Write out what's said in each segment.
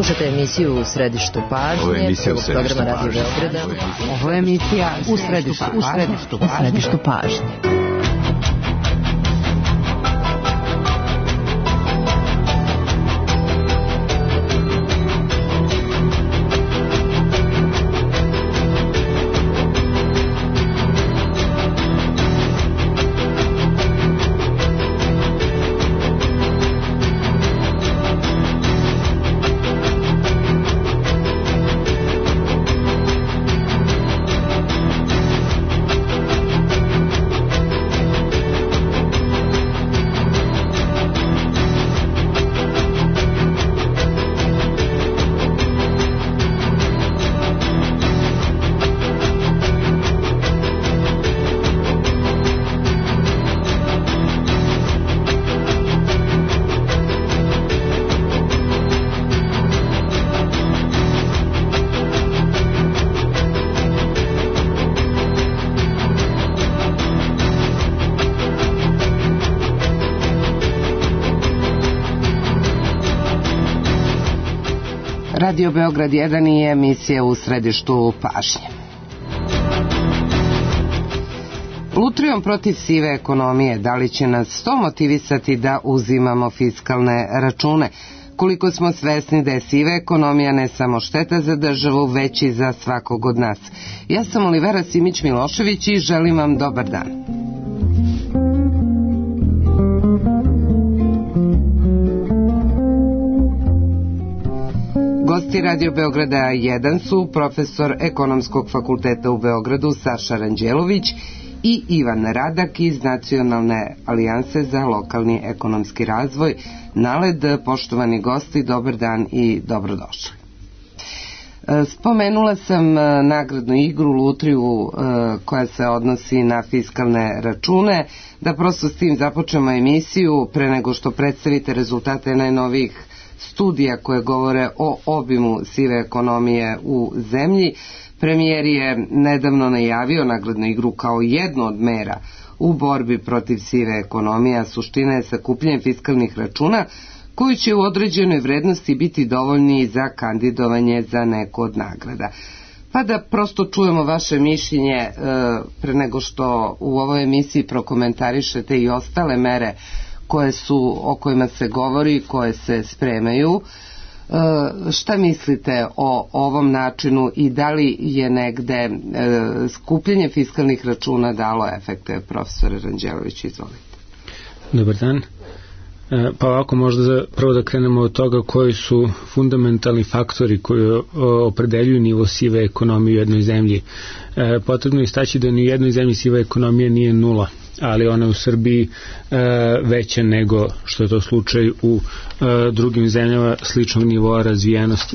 Slušate emisiju U središtu pažnje. Ovo je emisija U središtu programa Radio Beograda. Ovo je emisija U središtu pažnje. Radio Beograd 1 i emisija U središtu pažnje. Lutrijom protiv sive ekonomije, da li će nas to motivisati da uzimamo fiskalne račune? Koliko smo svesni da je siva ekonomija ne samo šteta za državu, već i za svakog od nas. Ja sam Olivera Simić-Milošević i želim vam dobar dan. Gosti Radio Beograda 1 su profesor Ekonomskog fakulteta u Beogradu Saša Ranđelović i Ivan Radak iz Nacionalne alijanse za lokalni ekonomski razvoj. NALED, poštovani gosti, dobar dan i dobrodošli. Spomenula sam nagradnu igru Lutriju koja se odnosi na fiskalne račune. Da prosto s tim započnemo emisiju pre nego što predstavite rezultate najnovijih studija koje govore o obimu sive ekonomije u zemlji. Premijer je nedavno najavio nagradnu igru kao jednu od mera u borbi protiv sive ekonomije, a suština je sakupljanje fiskalnih računa koji će u određenoj vrednosti biti dovoljni za kandidovanje za neku od nagrada. Pa da prosto čujemo vaše mišljenje pre nego što u ovoj emisiji prokomentarišete i ostale mere o kojima se govori, koje se spremaju. Šta mislite o ovom načinu i da li je negde skupljanje fiskalnih računa dalo efekte? Profesore Ranđelović, izvolite. Dobar dan. Pa ovako, možda prvo da krenemo od toga koji su fundamentalni faktori koji opredeljuju nivo sive ekonomije u jednoj zemlji. Potrebno je istaći da ni u jednoj zemlji siva ekonomija nije nula, ali ona je u Srbiji veća nego što je to slučaj u drugim zemljama sličnog nivoa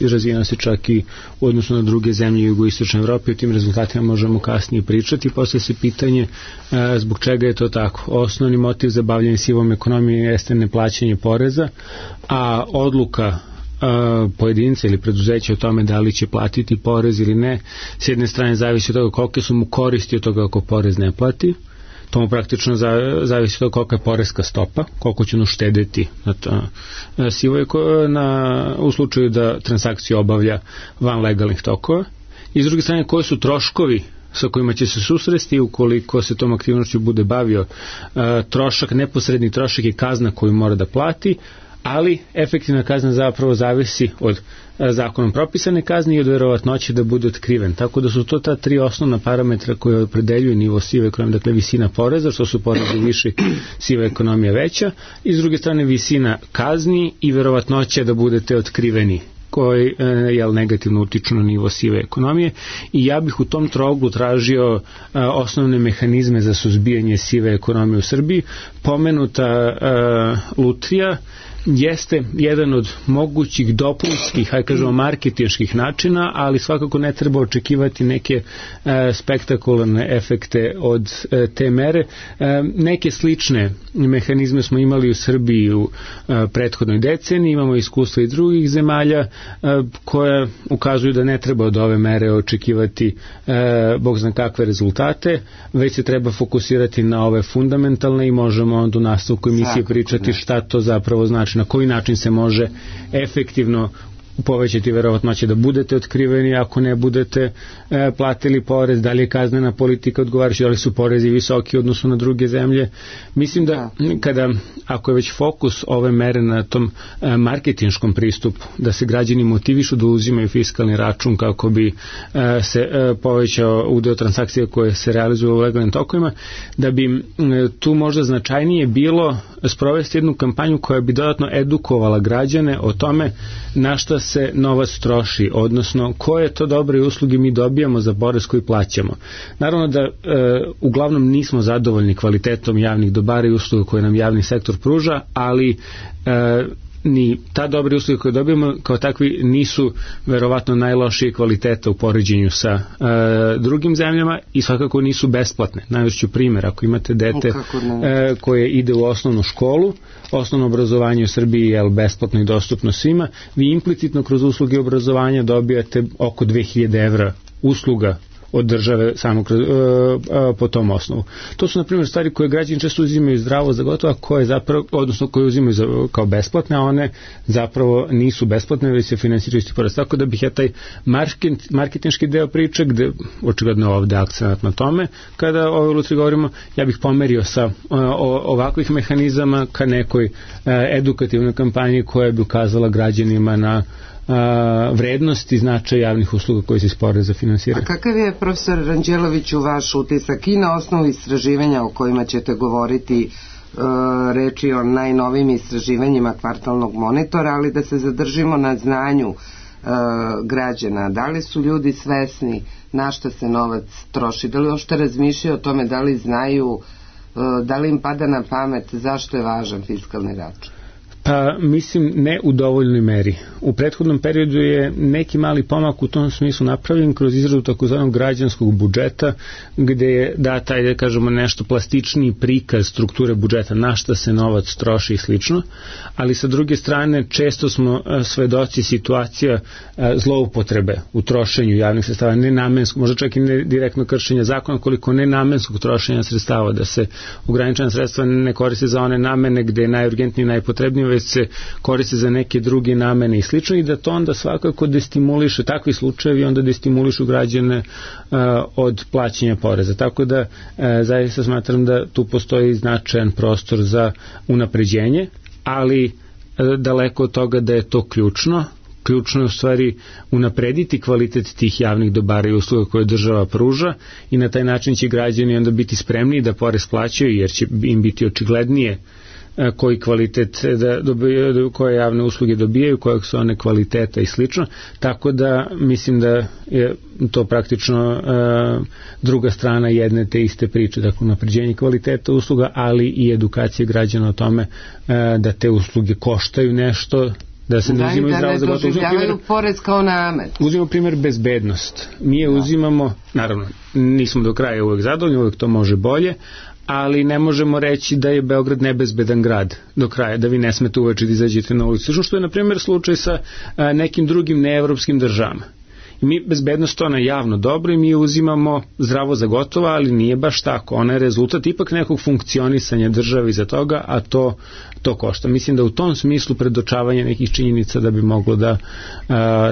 razvijenosti čak i u odnosu na druge zemlje u jugoistočnoj Evropi. O tim rezultatima možemo kasnije pričati. Poslije se pitanje zbog čega je to tako. Osnovni motiv za bavljanje sivom ekonomijom jeste neplaćanje poreza, a odluka pojedinca ili preduzeća o tome da li će platiti porez ili ne, s jedne strane zavisi od toga kolike su mu koristi od toga ako porez ne plati. To mu praktično zavisi od toga kolika je poreska stopa, koliko će ono štedeti u slučaju da transakciju obavlja van legalnih tokova. I s druge strane, koji su troškovi sa kojima će se susresti ukoliko se tom aktivnošću bude bavio. Trošak, neposredni trošak je kazna koju mora da plati, ali efektivna kazna zapravo zavisi od zakonom propisane kazne i od verovatnoće da bude otkriven. Tako da su to ta tri osnovna parametra koje opredeljuju nivo sive ekonomije, dakle visina poreza, što su porezi viši, siva ekonomija veća, i s druge strane visina kazni i verovatnoće da budete otkriveni, koji negativno utiču na nivo sive ekonomije. I ja bih u tom trouglu tražio osnovne mehanizme za suzbijanje sive ekonomije u Srbiji. Pomenuta lutrija jeste jedan od mogućih dopunskih, marketinških načina, ali svakako ne treba očekivati neke spektakularne efekte od te mere. Neke slične mehanizme smo imali u Srbiji u prethodnoj deceniji, imamo iskustva i drugih zemalja koja ukazuju da ne treba od ove mere očekivati bog zna kakve rezultate, već se treba fokusirati na ove fundamentalne i možemo onda u nastavku emisije pričati šta to zapravo znači, na koji način se može efektivno povećati verovatnoće da budete otkriveni ako ne budete platili porez, da li je kaznena politika odgovarajuća, da li su porezi visoki u odnosu na druge zemlje. Mislim da ako je već fokus ove mere na tom marketinškom pristupu, da se građani motivišu da uzimaju fiskalni račun kako bi se povećao udeo transakcija koje se realizuju u legalnim tokovima, da bi tu možda značajnije bilo sprovesti jednu kampanju koja bi dodatno edukovala građane o tome na šta se novac troši, odnosno koje to dobre usluge mi dobijamo za porez koji plaćamo. Naravno da uglavnom nismo zadovoljni kvalitetom javnih dobara i usluga koje nam javni sektor pruža, ali ni ta dobre usluge koje dobijemo kao takvi nisu verovatno najlošije kvaliteta u poređenju sa drugim zemljama i svakako nisu besplatne. Navešću primjer, ako imate dete koje ide u osnovnu školu, osnovno obrazovanje u Srbiji je besplatno i dostupno svima, vi implicitno kroz usluge obrazovanja dobijate oko 2000 evra usluga od države samo po tom osnovu. To su, na primjer, stvari koje građani često uzimaju zdravo za gotovo, koje zapravo, odnosno koje uzimaju kao besplatne, a one zapravo nisu besplatne, već se finansiraju iz poreza. Tako da bih ja taj marketinški deo priče, gde očigledno ovde akcenat na tome, kada o Lutri govorimo, ja bih pomerio sa ovakvih mehanizama ka nekoj edukativnoj kampanji koja bi ukazala građanima na vrednost i značaj javnih usluga koje se iz poreza finansiraju. A kakav je, profesor Ranđeloviću, vaš utisak i na osnovu istraživanja o kojima ćete govoriti, reči o najnovim istraživanjima kvartalnog monitora, ali da se zadržimo na znanju građana? Da li su ljudi svesni na šta se novac troši? Da li uopšte razmišljaju o tome, da li znaju, da li im pada na pamet zašto je važan fiskalni račun? Pa mislim ne u dovoljnoj meri. U prethodnom periodu je neki mali pomak u tom smislu napravljen kroz izradu takozvanog građanskog budžeta, gde je data, da kažemo, nešto plastičniji prikaz strukture budžeta, na šta se novac troši i slično, ali sa druge strane često smo svedoci situacija zloupotrebe u trošenju javnih sredstava, nenamenskog, možda čak i ne direktno kršenja zakona, koliko nenamenskog trošenja sredstava, da se ograničena sredstva ne koriste za one namene gde je najurgentnije i najpotrebnije, se koriste za neke druge namene i slično, i da to onda svakako destimuliše, takvi slučajevi onda destimulišu građane od plaćanja poreza. Tako da zaista smatram da tu postoji značajan prostor za unapređenje, ali daleko od toga da je to ključno. Ključno je u stvari unaprediti kvalitet tih javnih dobara i usluga koje država pruža i na taj način će građani onda biti spremni da porez plaćaju, jer će im biti očiglednije koji kvalitet koje javne usluge dobijaju, kojeg su one kvaliteta i slično, tako da mislim da je to praktično druga strana jedne te iste priče, dakle unapređenje kvaliteta usluga, ali i edukacije građana o tome da te usluge koštaju nešto, da se ne uzimaju zdravo za gotovo. Doživljavaju porez kao namet. Uzimamo primjer bezbednost. Mi je uzimamo, naravno, nismo do kraja uvek zadovoljni, uvek to može bolje, ali ne možemo reći da je Beograd nebezbedan grad do kraja, da vi ne smete uveče da izađete na ulicu, što je na primjer slučaj sa nekim drugim neevropskim državama. I mi bezbednost, ona je javno dobro i mi je uzimamo zdravo za gotovo, ali nije baš tako. Ona je rezultat ipak nekog funkcionisanja države iza toga, a to košta. Mislim da u tom smislu predočavanje nekih činjenica da bi moglo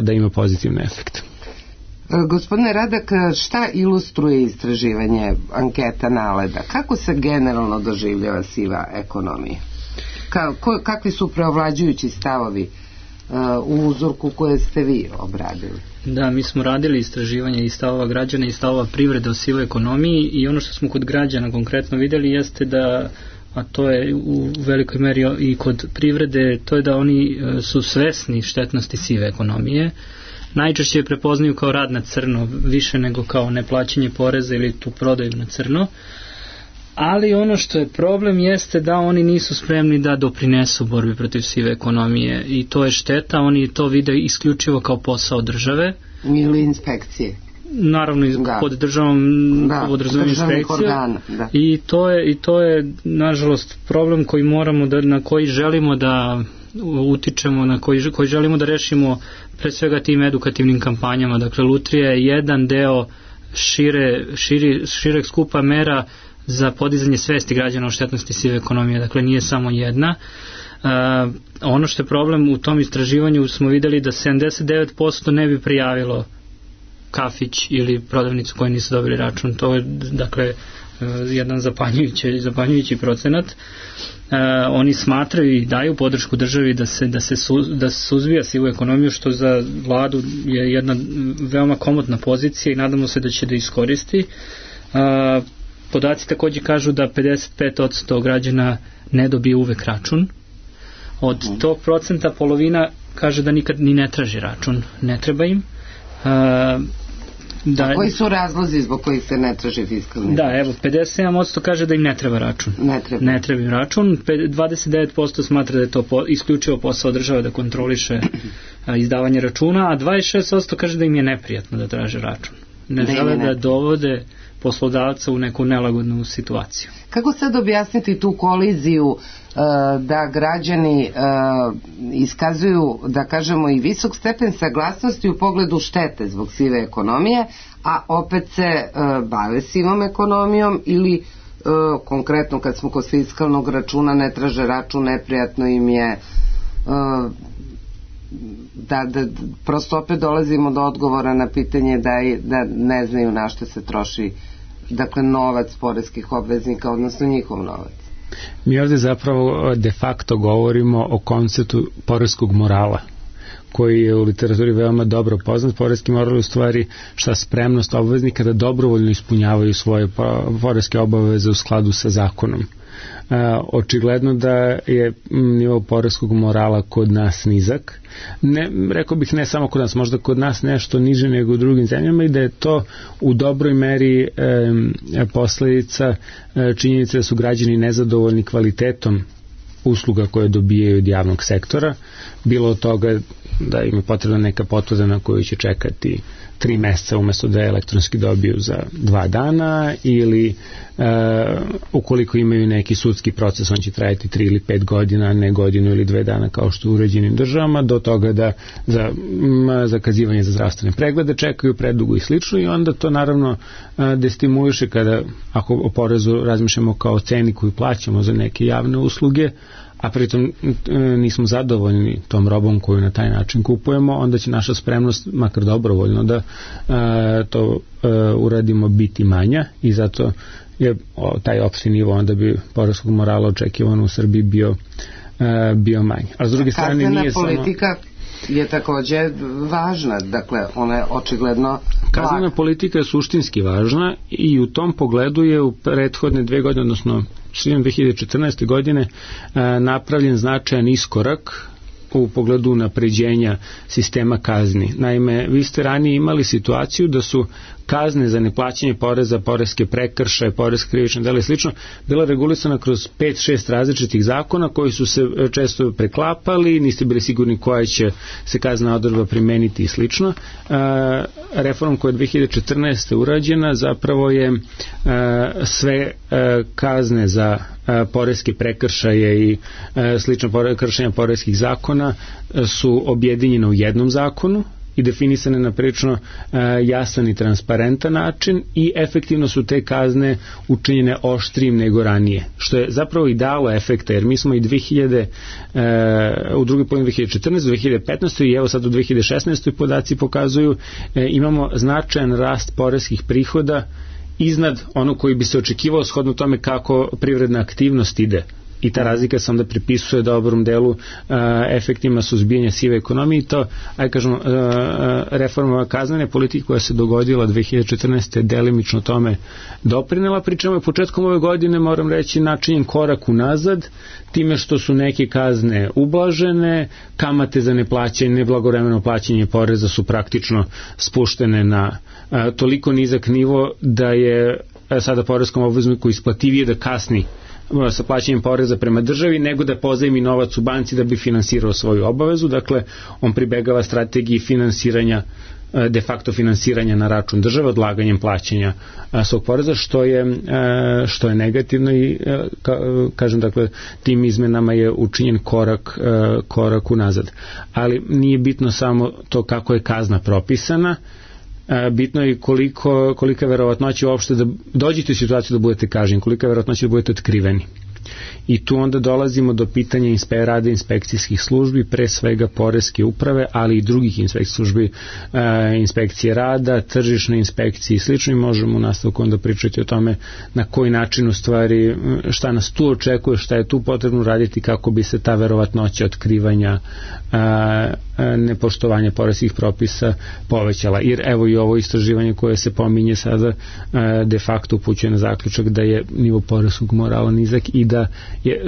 da ima pozitivne efekte. Gospodine Radak, šta ilustruje istraživanje anketa Naleda? Kako se generalno doživljava siva ekonomija? Kakvi su preovlađujući stavovi u uzorku koje ste vi obradili? Da, mi smo radili istraživanje i stavova građana i stavova privrede o sivoj ekonomiji, i ono što smo kod građana konkretno videli jeste da, a to je u velikoj meri i kod privrede, to je da oni su svesni štetnosti sive ekonomije. Najčešće je prepoznaju kao rad na crno, više nego kao neplaćanje poreza ili tu prodaju na crno. Ali ono što je problem jeste da oni nisu spremni da doprinesu borbi protiv sive ekonomije, i to je šteta. Oni to vide isključivo kao posao države ili inspekcije. Naravno, pod državom podrazumijeva inspekcija. I to je nažalost problem koji moramo na koji želimo da utičemo, na koji želimo da rešimo pre svega tim edukativnim kampanjama. Dakle, Lutrija je jedan deo šireg skupa mera za podizanje svesti građana o štetnosti sive ekonomije, dakle nije samo jedna. Ono što je problem u tom istraživanju smo videli da 79% ne bi prijavilo kafić ili prodavnicu koji nisu dobili račun. To je dakle jedan zapanjujući procenat. Oni smatraju i daju podršku državi da se suzbija sivu ekonomiju, što za vladu je jedna veoma komotna pozicija i nadamo se da će da iskoristi. Podaci također kažu da 55% građana ne dobije uvek račun. Od tog procenta polovina kaže da nikad ni ne traži račun, ne treba im. A koji su razlozi zbog kojih se ne traži fiskalni? Da, evo, 57% kaže da im ne treba račun. Ne treba im račun. 29% smatra da je to isključivo posao države da kontroliše izdavanje računa, a 26% kaže da im je neprijatno da traže račun. Ne žele da dovode poslodavca u neku nelagodnu situaciju. Kako sad objasniti tu koliziju da građani iskazuju, da kažemo, i visok stepen saglasnosti u pogledu štete zbog sive ekonomije, a opet se bave sivom ekonomijom ili konkretno kad smo kod fiskalnog računa ne traže račun, neprijatno im je, da prosto opet dolazimo do odgovora na pitanje da ne znaju na što se troši, dakle, novac poreskih obveznika, odnosno njihov novac. Mi ovdje zapravo de facto govorimo o konceptu poreskog morala, koji je u literaturi veoma dobro poznat. Poreski moral je u stvari šta spremnost obveznika da dobrovoljno ispunjavaju svoje poreske obaveze u skladu sa zakonom. Očigledno da je nivo poreskog morala kod nas nizak. Rekao bih ne samo kod nas, možda kod nas nešto niže nego u drugim zemljama, i da je to u dobroj meri posledica činjenice da su građani nezadovoljni kvalitetom usluga koje dobijaju od javnog sektora, bilo od toga da im je potrebna neka potvrda na koju će čekati 3 meseca umesto da je elektronski dobiju za 2 dana, ili ukoliko imaju neki sudski proces, on će trajati 3 ili 5 godina, ne godinu ili 2 dana kao što u uređenim državama, do toga da za zakazivanje za zdravstvene preglede čekaju predugo i slično, i onda to naravno destimuliše kada, ako o porezu razmišljamo kao ceni koju plaćamo za neke javne usluge, a pritom nismo zadovoljni tom robom koju na taj način kupujemo, onda će naša spremnost, makar dobrovoljno, da to uradimo, biti manja, i zato je taj opšti nivo onda bi poreskog morala očekivan u Srbiji bio manji. A s druge strane nije samo... politika je također važna, dakle ona je očigledno... Kaznena politika je suštinski važna i u tom pogledu je u prethodne 2 godine, odnosno 2014. godine, napravljen značajan iskorak u pogledu unapređenja sistema kazni. Naime, vi ste ranije imali situaciju da su kazne za neplaćanje poreza, poreske prekršaje, poreske krivične dela i slično bila regulisana kroz 5-6 različitih zakona koji su se često preklapali, niste bili sigurni koja će se kazna odredba primeniti i slično. Reformom koja je 2014. urađena zapravo je sve kazne za poreske prekršaje i slično kršenja poreskih zakona su objedinjene u jednom zakonu i definisane na prilično jasan i transparentan način, i efektivno su te kazne učinjene oštrijim nego ranije, što je zapravo i dalo efekta, jer mi smo i u drugoj polovini 2014. 2015. i evo sad u 2016. podaci pokazuju imamo značajan rast poreskih prihoda iznad ono koji bi se očekivao shodno tome kako privredna aktivnost ide. I ta razlika se onda pripisuje dobrom delu efektima suzbijanja sive ekonomije, i to, kažemo, reforma kaznene politike koja se dogodila 2014. delimično tome doprinela, pričemu je početkom ove godine, moram reći, načinjen korak unazad, time što su neke kazne ublažene, kamate za neplaćanje, neblagovremeno plaćanje poreza su praktično spuštene na toliko nizak nivo da je sada poreskom obvezniku isplativije da kasni sa plaćanjem poreza prema državi nego da pozajmi novac u banci da bi finansirao svoju obavezu. Dakle, on pribegava strategiji finansiranja, de facto finansiranja na račun države, odlaganjem plaćanja svog poreza, što je negativno, i kažem, dakle, tim izmenama je učinjen korak unazad. Ali nije bitno samo to kako je kazna propisana, bitno je kolika je verovatnoća uopšte da dođete u situaciju da budete kažnjeni, kolika je verovatnoća da budete otkriveni. I tu onda dolazimo do pitanja rada inspekcijskih službi, pre svega poreske uprave, ali i drugih inspekcijskih službi, inspekcije rada, tržišne inspekcije i slično, i možemo u nastavku onda pričati o tome na koji način u stvari šta nas tu očekuje, šta je tu potrebno raditi kako bi se ta verovatnoća otkrivanja nepoštovanja poreskih propisa povećala. Jer evo i ovo istraživanje koje se pominje sada de facto upućuje na zaključak da je nivo poreskog morala nizak i da je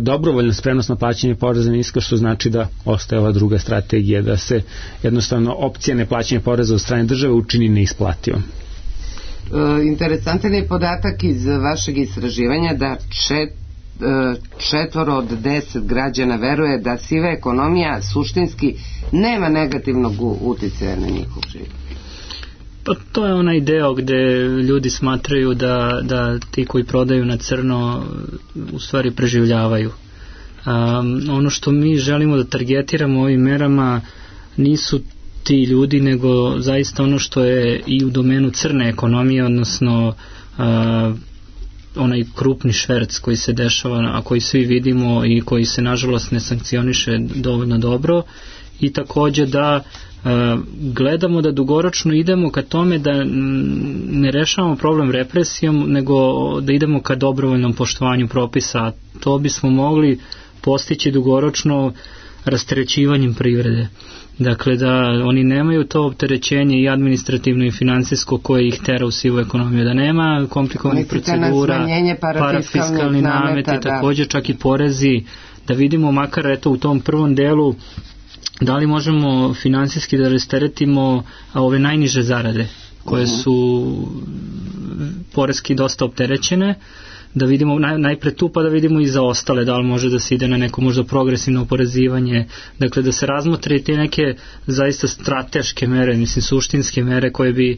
dobrovoljna spremnost na plaćanje poreza niska, što znači da ostaje ova druga strategija, da se jednostavno opcija neplaćanja poreza od strane države učini neisplativom. Interesantan je podatak iz vašeg istraživanja da 4 od 10 građana veruje da siva ekonomija suštinski nema negativnog uticaja na njihov život. Pa to je onaj deo gde ljudi smatraju da ti koji prodaju na crno u stvari preživljavaju. Ono što mi želimo da targetiramo ovim merama nisu ti ljudi, nego zaista ono što je i u domenu crne ekonomije, odnosno onaj krupni šverc koji se dešava, a koji svi vidimo i koji se nažalost ne sankcioniše dovoljno dobro, i takođe da gledamo da dugoročno idemo ka tome da ne rešavamo problem represijom, nego da idemo ka dobrovoljnom poštovanju propisa. To bismo mogli postići dugoročno rasterećivanjem privrede. Dakle, da oni nemaju to opterećenje i administrativno i finansijsko koje ih tera u sivu ekonomiju, da nema komplikovanih procedura, parafiskalni nameti, također čak i porezi, da vidimo makar eto u tom prvom delu da li možemo finansijski da rasteretimo ove najniže zarade koje su poreski dosta opterećene, da vidimo najpre tu, pa da vidimo i za ostale, da li može da se ide na neko možda progresivno oporezivanje, dakle da se razmotre te neke zaista strateške mere, mislim suštinske mere koje bi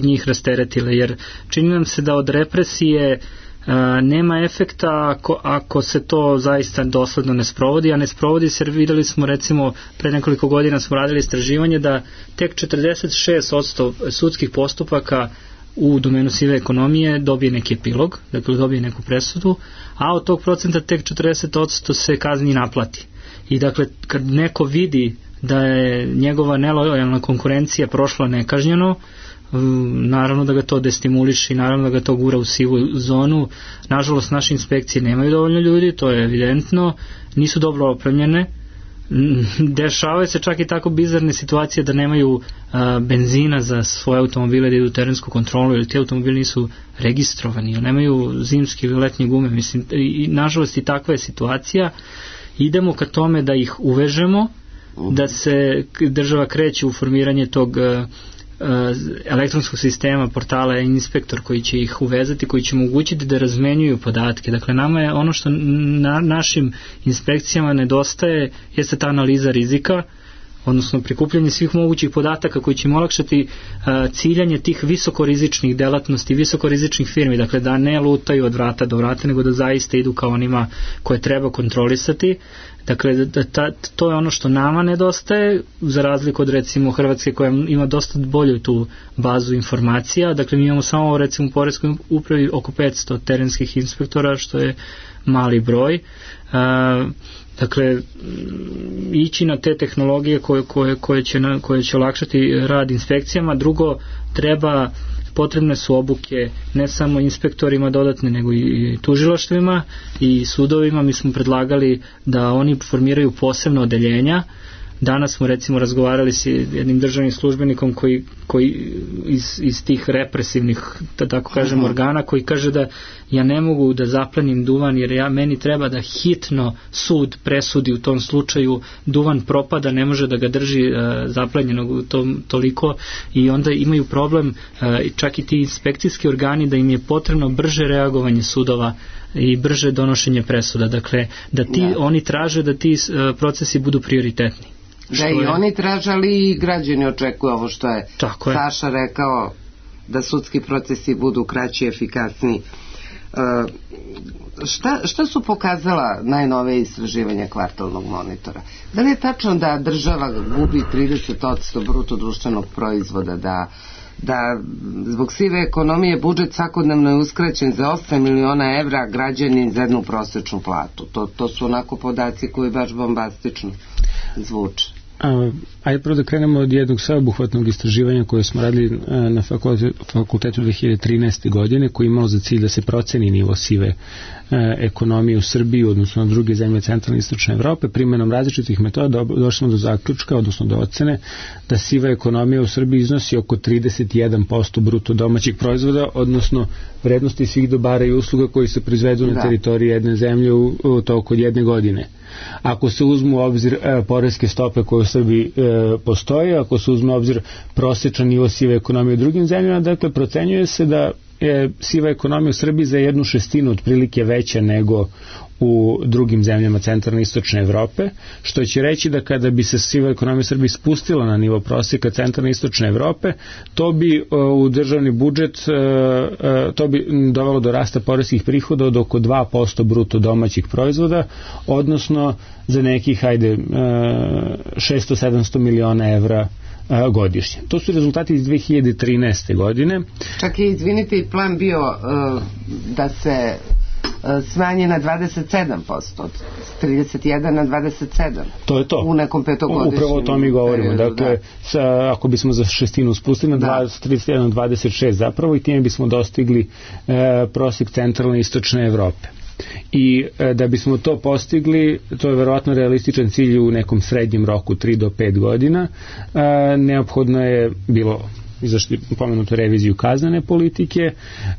njih rasteretile, jer čini nam se da od represije nema efekta ako se to zaista dosledno ne sprovodi, a ne sprovodi se, videli smo recimo pre nekoliko godina smo radili istraživanje da tek 46% sudskih postupaka u domenu sive ekonomije dobije neki epilog, dakle dobije neku presudu, a od tog procenta tek 40% se kazni naplati. I dakle kad neko vidi da je njegova nelojalna konkurencija prošla nekažnjeno, naravno da ga to destimuliše i naravno da ga to gura u sivu zonu. Nažalost naše inspekcije nemaju dovoljno ljudi, to je evidentno, nisu dobro opremljene, dešavaju se čak i tako bizarne situacije da nemaju benzina za svoje automobile da idu u terensku kontrolu, ili ti automobili nisu registrovani, ili nemaju zimske ili letnje gume, mislim, i nažalost i takva je situacija. Idemo ka tome da ih uvežemo, da se država kreće u formiranje tog elektronskog sistema, portala inspektor koji će ih uvezati, koji će omogućiti da razmenjuju podatke. Dakle, nama je ono što našim inspekcijama nedostaje jeste ta analiza rizika, odnosno prikupljanje svih mogućih podataka koji će im olakšati ciljanje tih visokorizičnih delatnosti, visokorizičnih firmi, dakle da ne lutaju od vrata do vrata, nego da zaista idu kao onima koje treba kontrolisati. Dakle, to je ono što nama nedostaje, za razliku od recimo Hrvatske koja ima dosta bolju tu bazu informacija. Dakle, mi imamo samo recimo u poreskoj upravi oko 500 terenskih inspektora, što je mali broj. Dakle, ići na te tehnologije koje će olakšati rad inspekcijama. Drugo, potrebne su obuke ne samo inspektorima dodatne, nego i tužilaštvima i sudovima. Mi smo predlagali da oni formiraju posebno odeljenja. Danas smo recimo razgovarali s jednim državnim službenikom koji iz tih represivnih, da tako kažem, organa, koji kaže da ja ne mogu da zaplenim duvan jer meni treba da hitno sud presudi u tom slučaju, duvan propada, ne može da ga drži zaplenjenog toliko, i onda imaju problem čak i ti inspekcijski organi da im je potrebno brže reagovanje sudova i brže donošenje presuda. Dakle, oni traže da ti procesi budu prioritetni. Da i oni traže, ali i građani očekuju ovo što je Saša rekao, da sudski procesi budu kraći i efikasniji. Šta su pokazala najnovije istraživanja kvartalnog monitora? Da li je tačno da država gubi 30% bruto društvenog proizvoda, da zbog sive ekonomije budžet svakodnevno je uskraćen za 8 miliona evra, građani za jednu prosječnu platu? To su onako podaci koji baš bombastično zvuče. Ajde prvo da krenemo od jednog sveobuhvatnog istraživanja koje smo radili na fakultetu 2013. godine, koji je imalo za cilj da se proceni nivo sive ekonomije u Srbiji, odnosno na druge zemlje centralne i istočne Evrope. Primenom različitih metoda došli smo do zaključka, odnosno do ocene, da siva ekonomija u Srbiji iznosi oko 31% bruto domaćih proizvoda, odnosno vrednosti svih dobara i usluga koji se proizvedu na teritoriji jedne zemlje u toku od jedne godine. Ako se uzmu u obzir poreske stope koje u Srbiji postoje, ako se uzme u obzir prosječan nivo sive ekonomije u drugim zemljama, dakle procenjuje se da je siva ekonomija u Srbiji za 1/6 otprilike veća nego u drugim zemljama centralne i istočne Evrope, što će reći da kada bi se siva ekonomija u Srbiji spustila na nivo prosjeka centralne i istočne Evrope, to bi u državni budžet to bi dovelo do rasta poreskih prihoda od oko 2% bruto domaćih proizvoda, odnosno za nekih 600-700 miliona evra godišnje. To su rezultati iz 2013. godine. Čak i, izvinite, i plan bio da se smanji na 27%, od 31 na 27. To je to. U nekom petogodišnjem. Upravo o tome i govorimo. Dakle, ako bismo za šestinu spustili na 31 na 26 zapravo, i time bismo dostigli prosjek centralne i istočne Evrope. I da bismo to postigli, to je verovatno realističan cilj u nekom srednjem roku 3 do 5 godina, neophodno je bilo izašli pomenutu reviziju kaznene politike,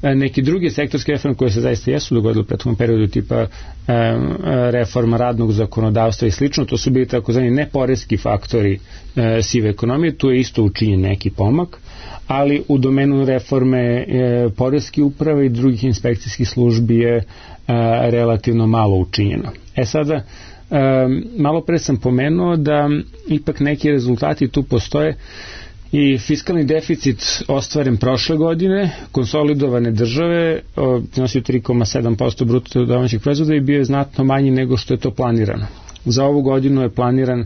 neki drugi sektorske reforme koje se zaista jesu dogodile u prethodnom periodu, tipa reforma radnog zakonodavstva i slično, to su bili takozvani neporeski faktori sive ekonomije, tu je isto učinjen neki pomak, ali u domenu reforme poreske uprave i drugih inspekcijskih službi je relativno malo učinjeno. Sada, malo pre sam pomenuo da ipak neki rezultati tu postoje i fiskalni deficit ostvaren prošle godine, konsolidovane države, iznosio 3,7% bruto domaćeg proizvoda i bio je znatno manji nego što je to planirano. Za ovu godinu je planiran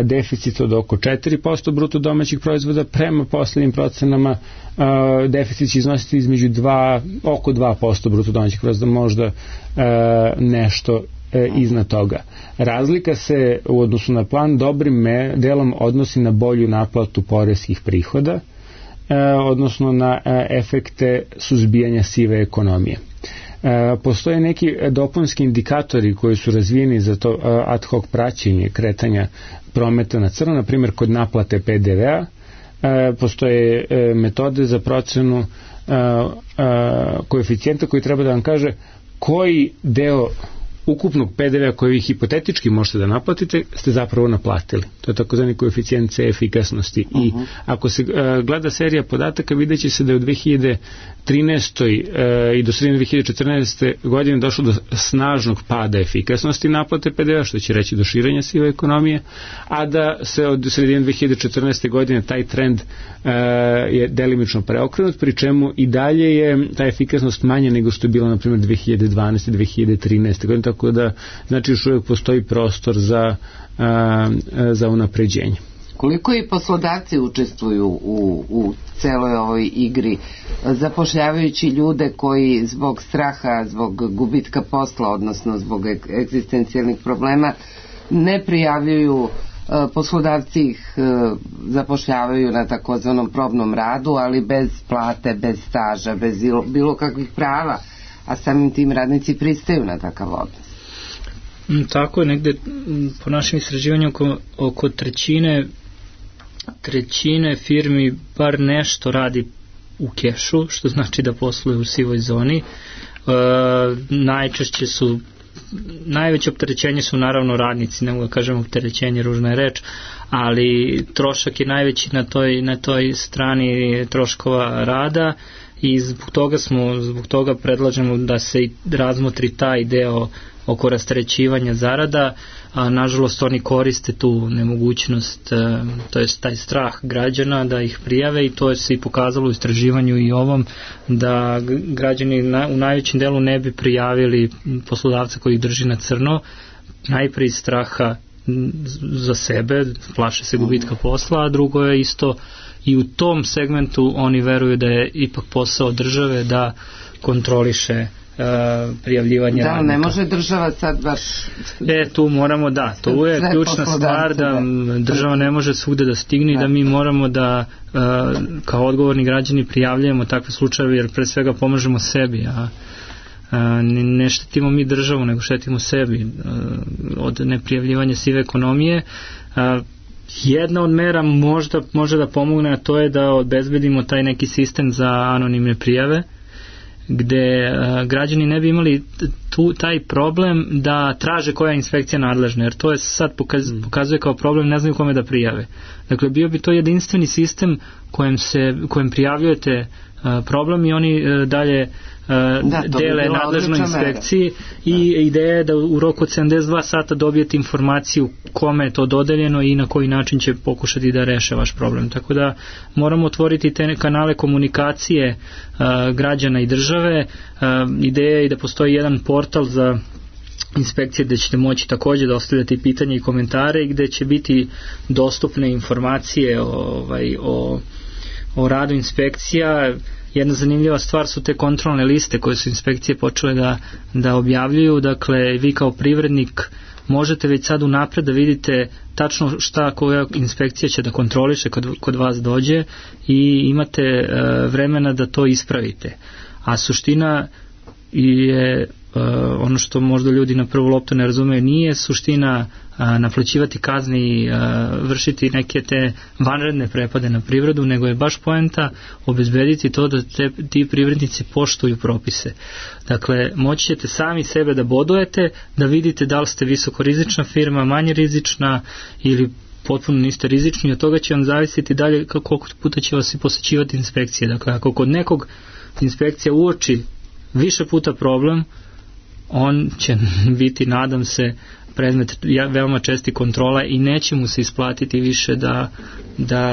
deficit od oko 4% bruto domaćih proizvoda, prema poslednjim procenama deficit će iznositi između oko 2% bruto domaćih proizvoda, možda nešto iznad toga. Razlika se u odnosu na plan dobrim delom odnosi na bolju naplatu poreskih prihoda, odnosno na efekte suzbijanja sive ekonomije. Postoje neki dopunski indikatori koji su razvijeni za to ad hoc praćenje kretanja prometa na crno, na primjer kod naplate PDV-a. Postoje metode za procenu koeficijenta koji treba da vam kaže koji deo ukupnog PDV-a koji vi hipotetički možete da naplatite ste zapravo naplatili. To je takozvani koeficijent C efikasnosti. I ako se gleda serija podataka, vidjet će se da je u 2013. I do sredine 2014. godine došlo do snažnog pada efikasnosti naplate PDV-a, što će reći do širenja sive ekonomije, a da se od sredine 2014. godine taj trend je delimično preokrenut, pri čemu i dalje je ta efikasnost manja nego što je bila na primjer 2012. 2013. godine, tako da znači još uvijek postoji prostor za unapređenje. Koliko i poslodavci učestvuju u celoj ovoj igri, zapošljavajući ljude koji zbog straha, zbog gubitka posla, odnosno zbog egzistencijalnih problema ne prijavljuju, poslodavci ih zapošljavaju na takozvanom probnom radu, ali bez plate, bez staža, bez bilo kakvih prava, a samim tim radnici pristaju na takav odnos. Tako je, negde po našem istraživanju oko trećine firmi bar nešto radi u kešu, što znači da posluje u sivoj zoni. Najveće opterećenje su naravno radnici, ne mogu da kažem opterećenje, ružna je reč, ali trošak je najveći na toj strani troškova rada i zbog toga predlažemo da se razmotri taj deo oko rasterećivanja zarada, a nažalost oni koriste tu nemogućnost, to jest taj strah građana da ih prijave, i to je se i pokazalo u istraživanju i ovom, da građani u najvećem delu ne bi prijavili poslodavca koji ih drži na crno, najprije iz straha za sebe, plaše se gubitka posla, a drugo je isto i u tom segmentu oni veruju da je ipak posao države da kontroliše prijavljivanje radnika. Da, ne može država sad baš... Tu moramo, tu je ključna stvar, da država ne može svugde da stigne i da mi moramo da kao odgovorni građani prijavljujemo takve slučajeve, jer pre svega pomažemo sebi, ne štetimo mi državu, nego štetimo sebi od neprijavljivanja sive ekonomije. Jedna od mera može da pomogne, a to je da obezbedimo taj neki sistem za anonimne prijave, gde građani ne bi imali taj problem da traže koja je inspekcija nadležna, jer to je sad pokazuje kao problem, ne znaju kome da prijave. Dakle, bio bi to jedinstveni sistem kojem prijavljujete problem i oni dalje dele nadležnoj inspekciji i ideja je da u roku od 72 sata dobijete informaciju kome je to dodeljeno i na koji način će pokušati da reše vaš problem. Tako da moramo otvoriti te kanale komunikacije građana i države. Ideja je i da postoji jedan portal za inspekcije gde ćete moći takođe da ostavljate pitanja i komentare i gde će biti dostupne informacije o radu inspekcija. Jedna zanimljiva stvar su te kontrolne liste koje su inspekcije počele da objavljuju. Dakle, vi kao privrednik možete već sad unapred da vidite tačno šta koja inspekcija će da kontroliše kod vas dođe i imate vremena da to ispravite. A suština je ono što možda ljudi na prvu loptu ne razumeju, nije suština naplaćivati kazne i vršiti neke te vanredne prepade na privredu, nego je baš poenta obezbediti to da ti privrednici poštuju propise. Dakle, moći ćete sami sebe da bodujete, da vidite da li ste visokorizična firma, manje rizična ili potpuno niste rizični, od toga će vam zavisiti dalje koliko puta će vas i posećivati inspekcije. Dakle, ako kod nekog inspekcija uoči više puta problem, on će biti, nadam se, predmet veoma česti kontrola i neće mu se isplatiti više da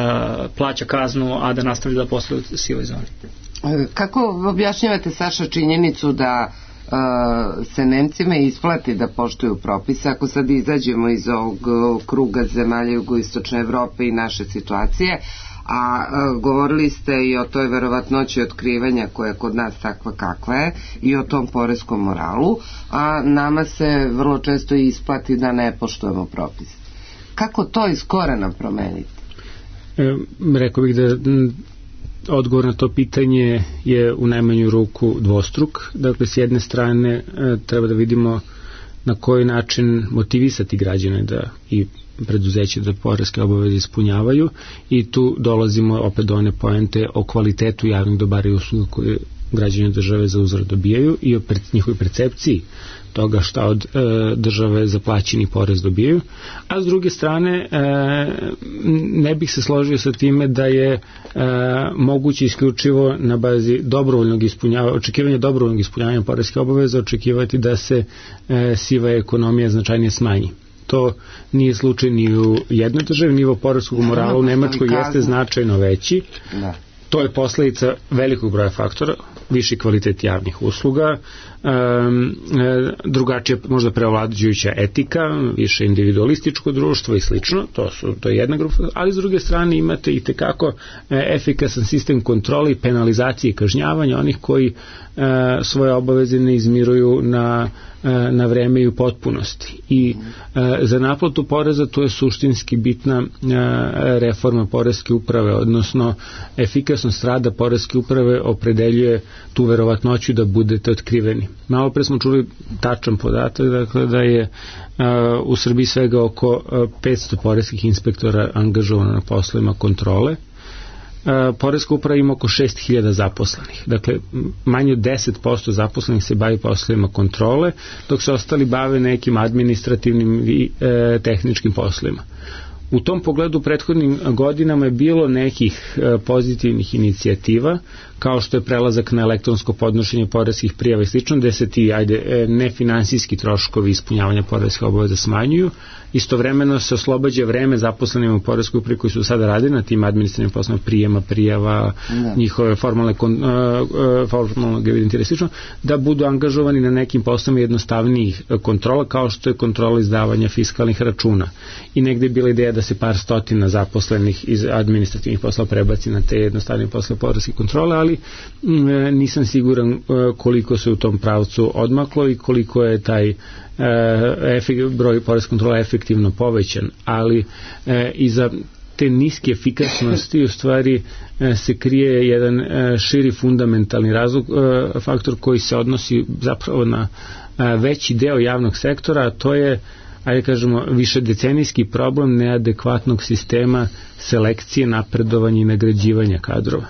plaća kaznu, a da nastavi da posluje u sivoj zoni. Kako objašnjavate, Saša, činjenicu da se Nemcima isplati da poštuju propise, ako sad izađemo iz ovog kruga zemalja jugoistočne Evrope i naše situacije, a govorili ste i o toj verovatnoći otkrivanja koja je kod nas takva kakva je i o tom poreskom moralu, a nama se vrlo često isplati da ne poštujemo propise. Kako to iz korena promeniti? Rekao bih da odgovor na to pitanje je u najmanju ruku dvostruk. Dakle, s jedne strane treba da vidimo na koji način motivisati građane da i preduzeće da poreske obaveze ispunjavaju, i tu dolazimo opet do one poente o kvalitetu javnih dobara i usluga koje građani države za uzvrat dobijaju i o njihovoj percepciji toga šta od države za plaćeni porez dobijaju. A s druge strane ne bih se složio sa time da je moguće isključivo na bazi očekivanja dobrovoljnog ispunjavanja poreske obaveze očekivati da se siva ekonomija značajnije smanji. To nije slučaj ni u jednoj državi. Nivo poreskog morala u Nemačkoj jeste značajno veći. To je posledica velikog broja faktora, viši kvalitet javnih usluga, drugačija možda preovlađujuća etika, više individualističko društvo i slično, to je jedna grupa, ali s druge strane imate i tekako efikasan sistem kontrole i penalizacije i kažnjavanja onih koji svoje obaveze ne izmiruju na vreme i u potpunosti. I za naplatu poreza to je suštinski bitna reforma poreske uprave, odnosno efikasnost rada poreske uprave opredeljuje tu verovatnoću da budete otkriveni. Malo pre smo čuli tačan podatak, dakle da je u Srbiji svega oko 500 poreskih inspektora angažovano na poslovima kontrole. Poreska uprava ima oko 6000 zaposlenih. Dakle, manje od 10% zaposlenih se bavi poslovima kontrole, dok se ostali bave nekim administrativnim i tehničkim poslovima. U tom pogledu prethodnim godinama je bilo nekih pozitivnih inicijativa, kao što je prelazak na elektronsko podnošenje poreskih prijava i slično, gde se ti nefinansijski troškovi ispunjavanja poreske obaveza smanjuju. Istovremeno se oslobađa vreme zaposlenima u poreskoj upravi koji su sada radili na tim administrativnim poslovima prijema, prijava, njihove formalnog evidentiranja i slično, da budu angažovani na nekim poslovima jednostavnijih kontrola, kao što je kontrola izdavanja fiskalnih računa. I negde je bila ideja da se par stotina zaposlenih iz administrativnih poslova prebaci na te jednostavnije poslove poreske kontrole, ali nisam siguran koliko se u tom pravcu odmaklo i koliko je taj broj poreske kontrola efektivno povećan, ali iza te niske efikasnosti u stvari se krije jedan širi fundamentalni razlog, faktor koji se odnosi zapravo na veći deo javnog sektora, a to je, ajde kažemo, višedecenijski problem neadekvatnog sistema selekcije, napredovanja i nagrađivanja kadrova.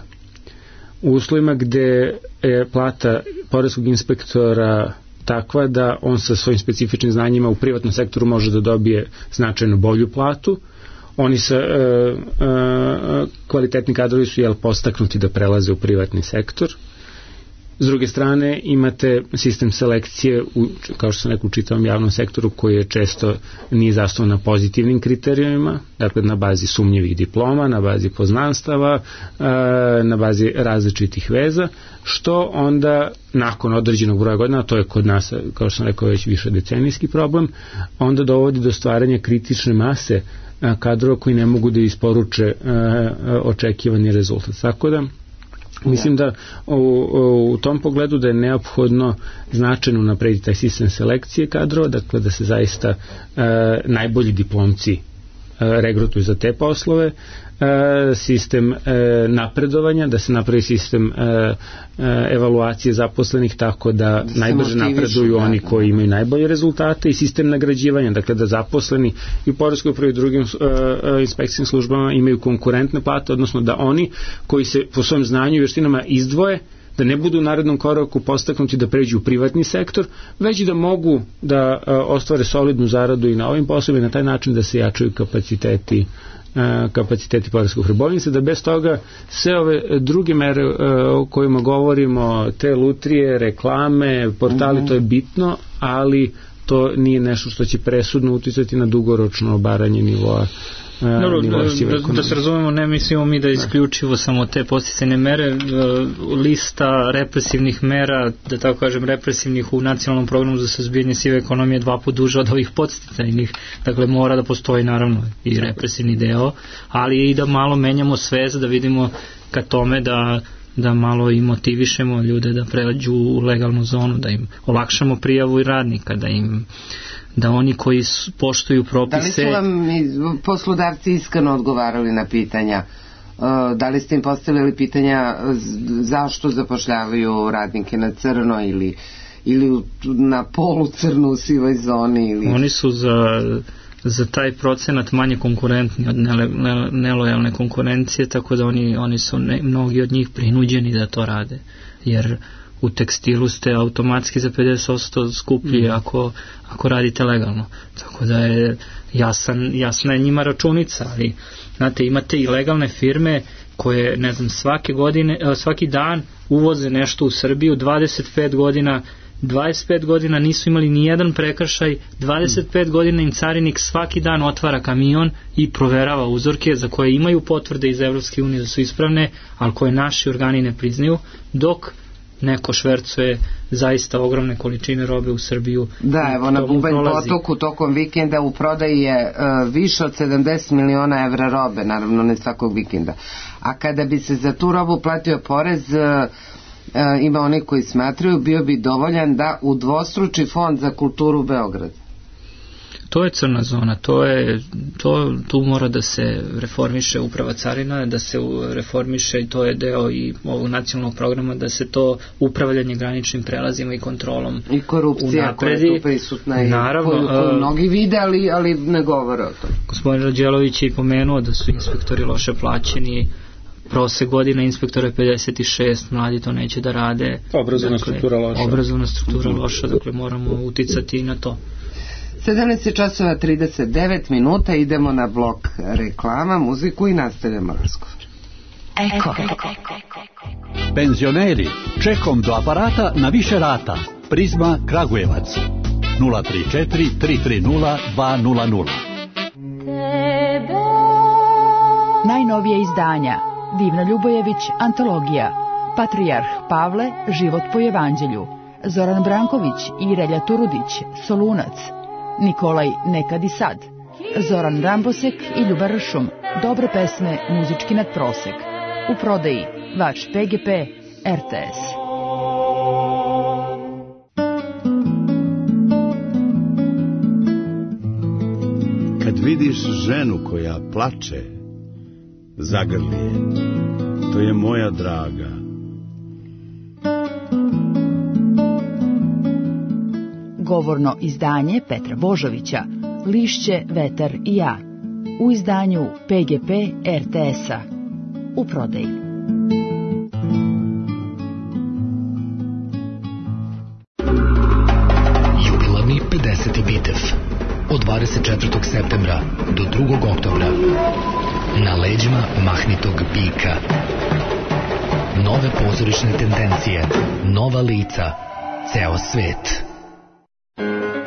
U uslovima gde je plata poreskog inspektora takva da on sa svojim specifičnim znanjima u privatnom sektoru može da dobije značajno bolju platu, oni sa kvalitetni kadrovi su postaknuti da prelaze u privatni sektor. S druge strane imate sistem selekcije kao što sam rekao u čitavom javnom sektoru koji je često nije zasnovan na pozitivnim kriterijumima, dakle na bazi sumnjivih diploma, na bazi poznanstava, na bazi različitih veza, što onda nakon određenog broja godina, to je kod nas, kao što sam rekao, već više decenijski problem, onda dovodi do stvaranja kritične mase kadrova koji ne mogu da isporuče očekivani rezultat. Tako da mislim da u tom pogledu da je neophodno značajno naprediti taj sistem selekcije kadrova, dakle da se zaista najbolji diplomci regrutuju za te poslove, sistem napredovanja, da se napravi sistem evaluacije zaposlenih tako da najbrže napreduju oni koji imaju najbolje rezultate, i sistem nagrađivanja, dakle da zaposleni i u poreskoj upravi i drugim inspekcijskim službama imaju konkurentne plate, odnosno da oni koji se po svom znanju i vještinama izdvoje, da ne budu u narednom koraku postaknuti da pređu u privatni sektor, već da mogu da ostvare solidnu zaradu i na ovim poslovima i na taj način da se jačaju kapaciteti poreske uprave. Bojim se da bez toga sve ove druge mere o kojima govorimo, te lutrije, reklame, portali, to je bitno, ali to nije nešto što će presudno uticati na dugoročno obaranje nivoa. Da se razumemo, ne mislimo mi da isključivo samo te podsticajne mere, lista represivnih mera, da tako kažem represivnih u nacionalnom programu za suzbijanje sive ekonomije 2 puta duže od ovih podsticajnih, dakle mora da postoji naravno i represivni deo, ali i da malo menjamo svest, da vidimo ka tome da malo i motivišemo ljude da pređu u legalnu zonu, da im olakšamo prijavu i radnika, da oni koji poštuju propise... Da li su vam poslodavci iskreno odgovarali na pitanja? Da li ste im postavili pitanja zašto zapošljavaju radnike na crno ili na polu crnu u sivoj zoni? Ili... Oni su za taj procenat manje konkurentni od nelojalne konkurencije, tako da oni su mnogi od njih prinuđeni da to rade, jer u tekstilu ste automatski za 50% skuplji ako radite legalno. Tako da je jasna je njima računica, ali znate, imate i legalne firme koje, ne znam, svaki dan uvoze nešto u Srbiju, 25 godina nisu imali ni jedan prekršaj, 25 godina im carinik svaki dan otvara kamion i proverava uzorke za koje imaju potvrde iz Evropske unije da su ispravne, ali koje naši organi ne priznaju, dok neko švercuje zaista ogromne količine robe u Srbiju. Da, evo na Bubanj potoku tokom vikenda u prodaji je više od 70 miliona evra robe, naravno ne svakog vikenda. A kada bi se za tu robu platio porez, ima oni koji smatraju, bio bi dovoljan da udvostruči fond za kulturu Beograd. To je crna zona, tu mora da se reformiše uprava carina, da se reformiše, i to je deo i ovog nacionalnog programa, da se to upravljanje graničnim prelazima i kontrolom i korupcija koja je tu prisutna i koju mnogi vide, ali ne govore o tom. Gospodin Rađelović je i pomenuo da su inspektori loše plaćeni, prosek godina inspektora je 56, mladi to neće da rade. Obrazovna struktura loša. Obrazovna struktura loša, dakle moramo uticati i na to. 17 časova 39 minuta, idemo na blok reklama, muziku i nastavljamo razgovor. Eko. Penzioneri, čekom do aparata na više rata. Prizma Kragujevac 034 330 200. Najnovije izdanja: Divna Ljubojević, antologija, Patrijarh Pavle, život po evanđelju, Zoran Branković i Relja Turudić, Solunac, Nikolaj Nekad i sad, Zoran Rambosek i Ljuba Ršum, dobre pesme, muzički nadprosek. U prodaji vaš PGP RTS. Kad vidiš ženu koja plače, zagrli je, to je moja draga. Govorno izdanje Petra Božovića, Lišće, vetar i ja, u izdanju PGP RTS-a. U prodaji. Jubilarni 50. Bitev od 24. septembra do 2. oktobra na leđima mahnitog bika. Nove pozorišne tendencije, nova lica, ceo svet.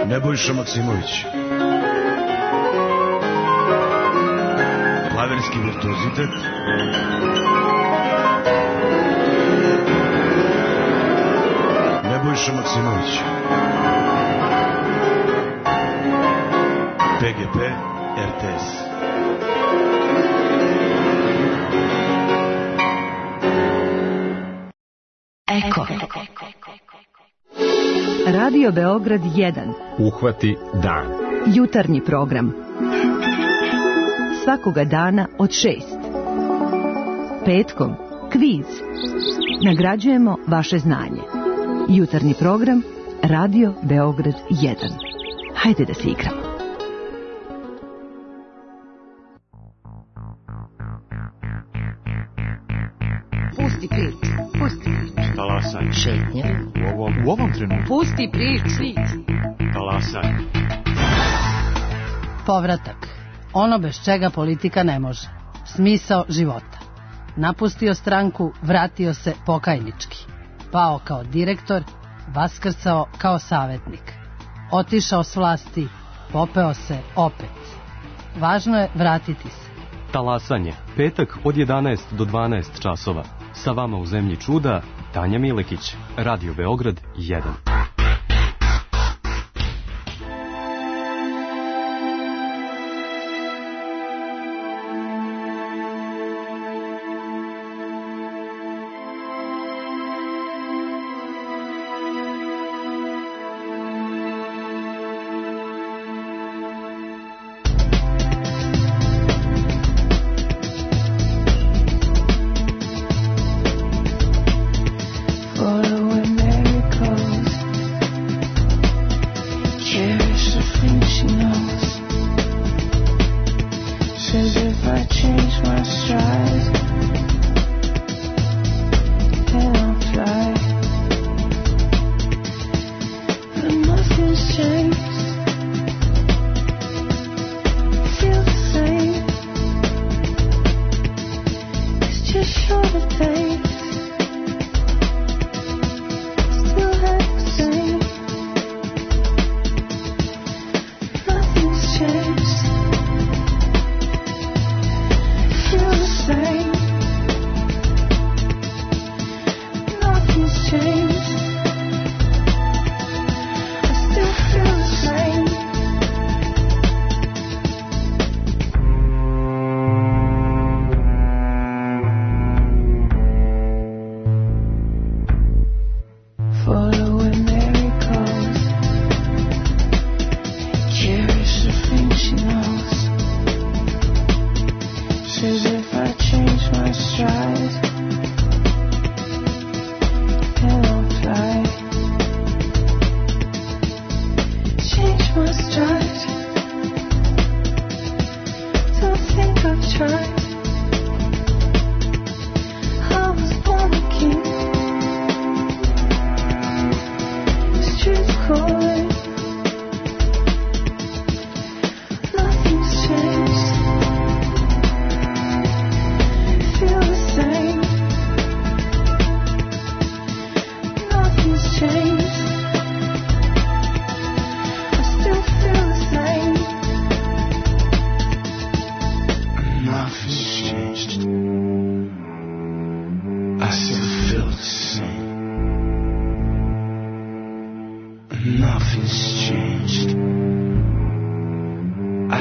Nebojša Maksimović, klavirski virtuozitet, Nebojša Maksimović, PGP RTS. Eko. Radio Beograd 1. Uhvati dan. Jutarnji program. Svakoga dana od 6. Petkom kviz. Nagrađujemo vaše znanje. Jutarnji program Radio Beograd 1. Hajde da se igramo. Pusti priču, pusti priču. Talasanje. Šetnje. U ovom trenutku. Pusti priču. Talasanje. Povratak. Ono bez čega politika ne može. Smisao života. Napustio stranku, vratio se pokajnički. Pao kao direktor, vaskrcao kao savjetnik. Otišao s vlasti, popeo se opet. Važno je vratiti se. Talasanje. Petak od 11 do 12 časova. Sa vama u zemlji čuda, Tanja Milekić. Radio Beograd 1. Following miracles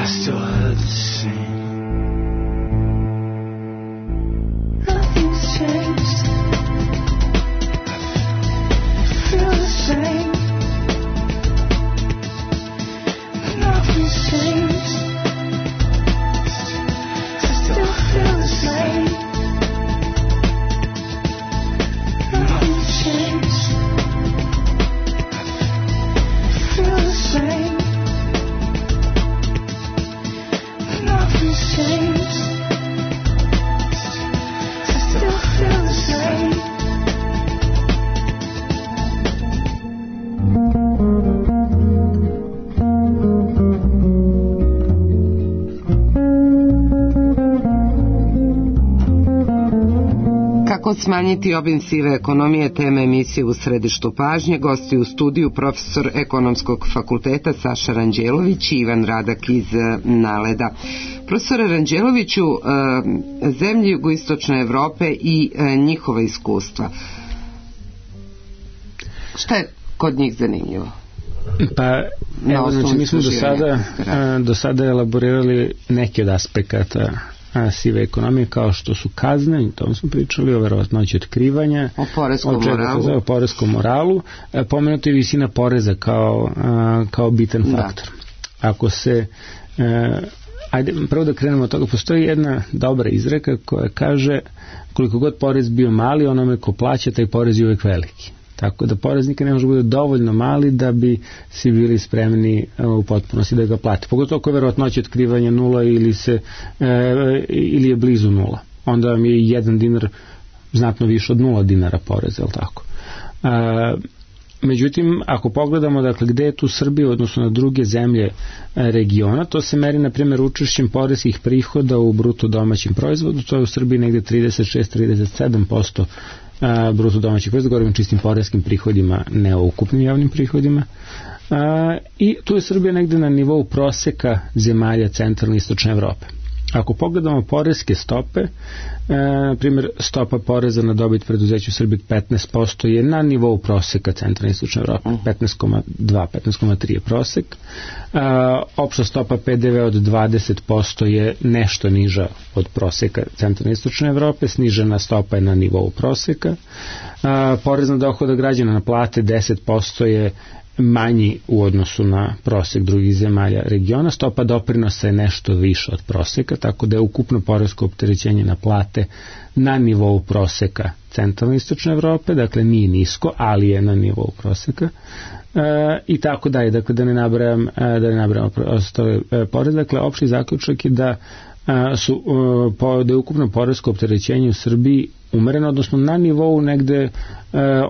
still heard the same. Nothing's changed. Feel the same. Nothing's changed. I still feel the same. Nothing's changed. Feel the same. Nothing's changed. I still feel the same. Kako smanjiti obim sive ekonomije, tema emisije U središtu pažnje. Gosti u studiju profesor Ekonomskog fakulteta Saša Ranđelović i Ivan Radak iz Naleda. Profesore Ranđeloviću, zemlje jugoistočne Evrope i njihova iskustva. Šta je kod njih zanimljivo? Pa, evo, znači mi smo do sada elaborirali neke od aspekata sive ekonomije, kao što su kazne, i tom smo pričali, o verovatnoći otkrivanja, o poreskom moralu, pomenuta je visina poreza kao bitan faktor. Ako se ajde prvo da krenemo od toga, postoji jedna dobra izreka koja kaže koliko god porez bio mali, onome ko plaća taj porez je uvek veliki. Tako da porez nikad ne može bude dovoljno mali da bi svi bili spremni u potpunosti da ga plate. Pogotovo ako je verovatnoća otkrivanja nula ili je blizu nula. Onda vam je 1 dinar znatno više od 0 dinara poreza, je li tako? Međutim, ako pogledamo dakle, gde je tu Srbija odnosno na druge zemlje regiona, to se meri na primjer učešćem poreskih prihoda u bruto domaćem proizvodu, to je u Srbiji negde 36-37% bruto domaćih proizvoda, govorimo o čistim poreskim prihodima, ne o ukupnim javnim prihodima. I tu je Srbija negde na nivou proseka zemalja centralne i istočne Evrope. Ako pogledamo poreske stope, na primjer stopa poreza na dobit preduzeća u Srbiji 15% je na nivou proseka centralne i istočne Evrope, 15,2, 15,3 je prosek. Opšta stopa PDV od 20% je nešto niža od proseka centralne i istočne Evrope, snižena stopa je na nivou proseka. Porez na dohodak građana na plate 10% je manji u odnosu na prosek drugih zemalja regiona. Stopa doprinosa je nešto više od proseka, tako da je ukupno poresko opterećenje na plate na nivou proseka centralne i istočne Evrope, dakle nije nisko, ali je na nivou proseka. I tako dalje, dakle da ne nabrajam ostale poreze. Dakle, opšti zaključak je da je ukupno poresko opterećenje u Srbiji umereno, odnosno na nivou negde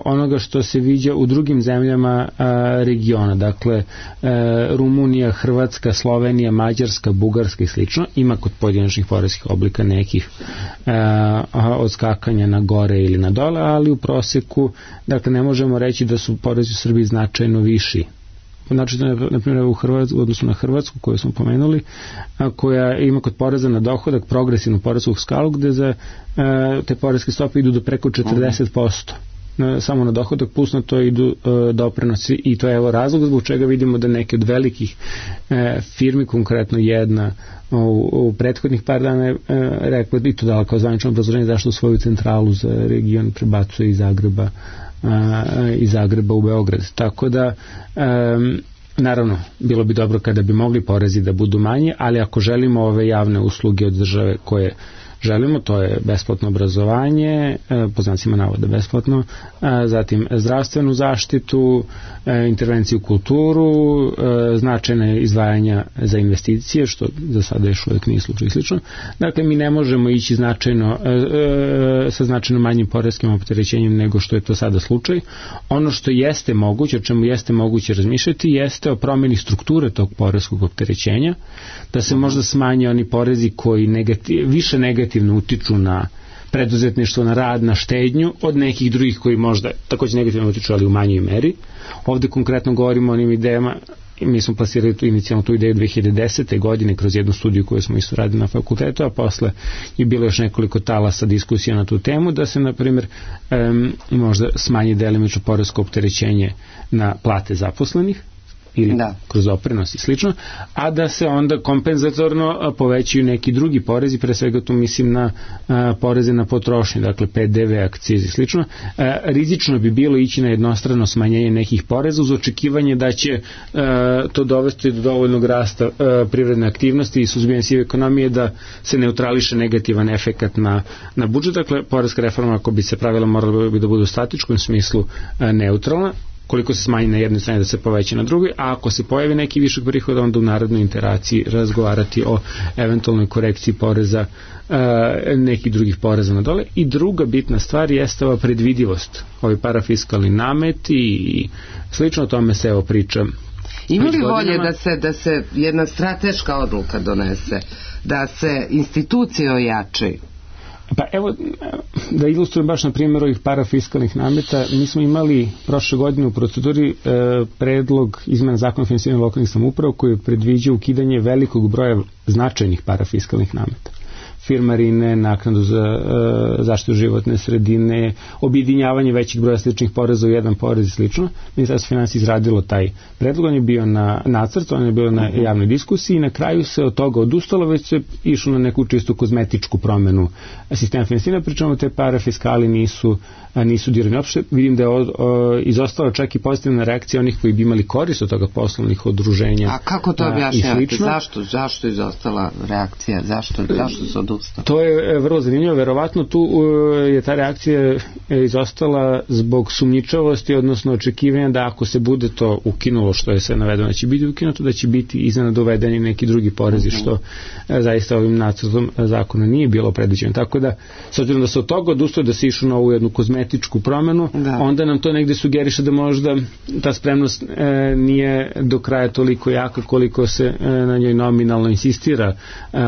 onoga što se viđa u drugim zemljama regiona, dakle Rumunija, Hrvatska, Slovenija, Mađarska, Bugarska i slično. Ima kod pojedinačnih poreskih oblika nekih odskakanja na gore ili na dole, ali u proseku dakle ne možemo reći da su porezi u Srbiji značajno viši. Znači, na primjer, u odnosu na Hrvatsku, koju smo pomenuli, koja ima kod poreza na dohodak progresivnu poresku skalu, gde za te poreske stope idu do preko 40%. Samo na dohodak, plus na to idu doprinosi, i to je evo razlog zbog čega vidimo da neke od velikih firmi, konkretno jedna u prethodnih par dana je rekla, i to dala kao zvanično obrazloženje zašto svoju centralu za region prebacuje iz Zagreba u Beograd. Tako da naravno, bilo bi dobro kada bi mogli porezi da budu manji, ali ako želimo ove javne usluge od države koje želimo, to je besplatno obrazovanje, po znacima navoda besplatno, zatim zdravstvenu zaštitu, intervenciju u kulturu, značajne izdvajanja za investicije, što za sada još uvijek nije slučaj i slično. Dakle, mi ne možemo ići sa značajno manjim poreskim opterećenjem nego što je to sada slučaj. Ono što jeste moguće, o čemu jeste moguće razmišljati, jeste o promjeni strukture tog poreskog opterećenja, da se možda smanje oni porezi koji više negativno utiču na preduzetništvo, na rad, na štednju, od nekih drugih koji možda također negativno utiču, ali u manjoj meri. Ovdje konkretno govorimo o onim idejama, mi smo plasirali inicijalno tu ideju 2010. godine kroz jednu studiju koju smo isto radili na fakultetu, a posle je bilo još nekoliko talasa diskusija na tu temu, da se, na primjer, možda smanji delimično poresko opterećenje na plate zaposlenih, ili kroz doprinos i slično, a da se onda kompenzatorno povećaju neki drugi porezi, pre svega tu mislim na poreze na potrošnju, dakle PDV, akcize i slično. Rizično bi bilo ići na jednostrano smanjenje nekih poreza uz očekivanje da će to dovesti do dovoljnog rasta privredne aktivnosti i suzbijanja sive ekonomije da se neutrališe negativan efekat na budžet. Dakle, poreska reforma, ako bi se pravila, morala bi da bude u statičkom smislu neutralna, koliko se smanji na jednoj strani da se poveća na drugoj, a ako se pojavi neki višak prihoda, onda u narodnoj interaciji razgovarati o eventualnoj korekciji poreza, nekih drugih poreza na dole. I druga bitna stvar jeste ova predvidivost, ovi parafiskalni nameti i slično, o tome se evo priča. Ima li volje da se jedna strateška odluka donese, da se institucije ojačaju? Pa evo, da ilustrujem baš na primjer ovih parafiskalnih nameta, mi smo imali prošle godine u proceduri predlog izmena zakona o finansiranju lokalnih samouprava koji predviđa ukidanje velikog broja značajnih parafiskalnih nameta. Firmarine, naknadu za zaštitu životne sredine, objedinjavanje većeg broja sličnih poreza u jedan porez i slično. Ministarstvo finansija izradilo taj predlog, on je bio na nacrt, on je bio na javnoj diskusiji i na kraju se od toga odustalo, već se išlo na neku čistu kozmetičku promenu sistema finansiranja, pričamo te parafiskali nisu dirani. Opšte vidim da je izostala čak i pozitivna reakcija onih koji bi imali korist od toga, poslovnih udruženja. A kako to objašnjavate? Zašto je izostala reakcija? Zašto se odustalo? To je vrlo zanimljivo, verovatno tu je ta reakcija izostala zbog sumnjičavosti, odnosno očekivanja da ako se bude to ukinulo, što je sve navedeno da će biti ukinuto, da će biti iznenada uvedeni neki drugi porezi, što zaista ovim nacrtom zakona nije bilo predviđeno. Tako da, s obzirom da se od toga odustalo, da se išlo na ovu jednu kozmetičku promenu, onda nam to negde sugeriše da možda ta spremnost nije do kraja toliko jaka koliko se na njoj nominalno insistira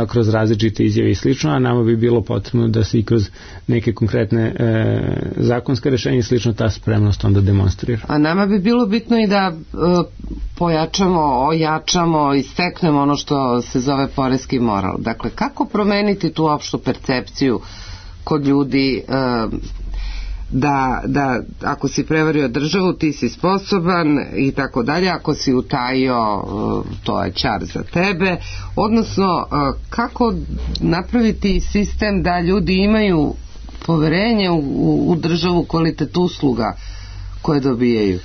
kroz različite izjave i slično, a nama bi bilo potrebno da se i kroz neke konkretne zakonske rešenja i slično ta spremnost onda demonstrira. A nama bi bilo bitno i da pojačamo, ojačamo i steknemo ono što se zove poreski moral. Dakle, kako promeniti tu opštu percepciju kod ljudi da ako si prevario državu ti si sposoban i tako dalje, ako si utajio to je ćar za tebe, odnosno kako napraviti sistem da ljudi imaju poverenje u državu, kvalitet usluga koje dobijaju.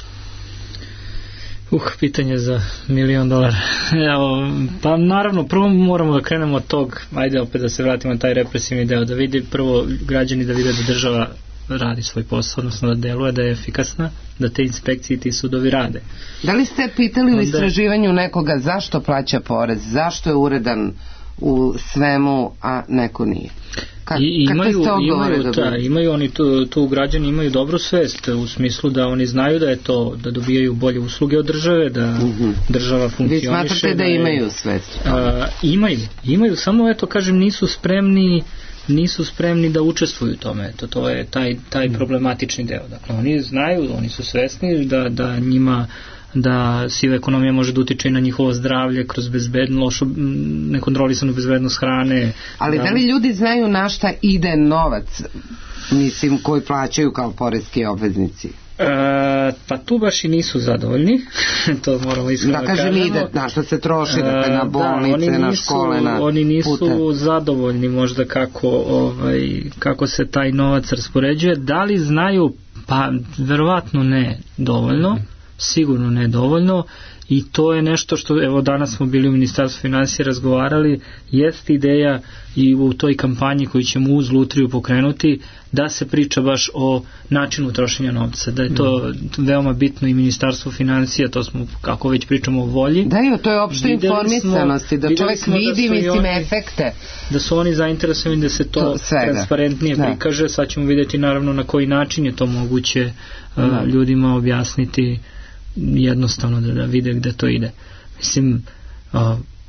Pitanje za $1.000.000. Pa naravno, prvo moramo da krenemo od tog, ajde opet da se vratimo na taj represivni deo, da vidi prvo građani da vide da država radi svoj posao, odnosno da deluje, da je efikasna, da te inspekcije i ti sudovi rade. Da li ste pitali u istraživanju nekoga zašto plaća porez, zašto je uredan u svemu, a neko nije? Imaju oni tu građani imaju dobru svest u smislu da oni znaju da je to, da dobijaju bolje usluge od države, da država funkcioniše. Vi smatrate da imaju svest? Imaju, samo eto kažem nisu spremni da učestvuju u tome. To je taj problematični deo. Dakle, oni znaju, oni su svesni da njima da siva ekonomija može da utiče i na njihovo zdravlje kroz lošu, nekontrolisanu bezbednost hrane. Ali da li ljudi znaju na šta ide novac, mislim, koji plaćaju kao poreski obveznici? Pa tu baš i nisu zadovoljni. To moramo iskreno da kažemo. Ide, na što se troši, dakle, na bolnice, na škole, na pute. Oni nisu zadovoljni možda kako se taj novac raspoređuje. Da li znaju? Pa verovatno ne dovoljno, sigurno ne dovoljno, i to je nešto što, evo danas smo bili u Ministarstvu finansija razgovarali, jest ideja i u toj kampanji koju ćemo uz Lutriju pokrenuti, da se priča baš o načinu trošenja novca, da je to veoma bitno i Ministarstvo finansija, to smo, kako već pričamo o volji. Da, to je opšte informisanosti, da čovjek vidi, mislim, efekte. Da su oni zainteresovani da se to transparentnije prikaže, sad ćemo vidjeti naravno na koji način je to moguće ljudima objasniti jednostavno da vide gde to ide. Mislim,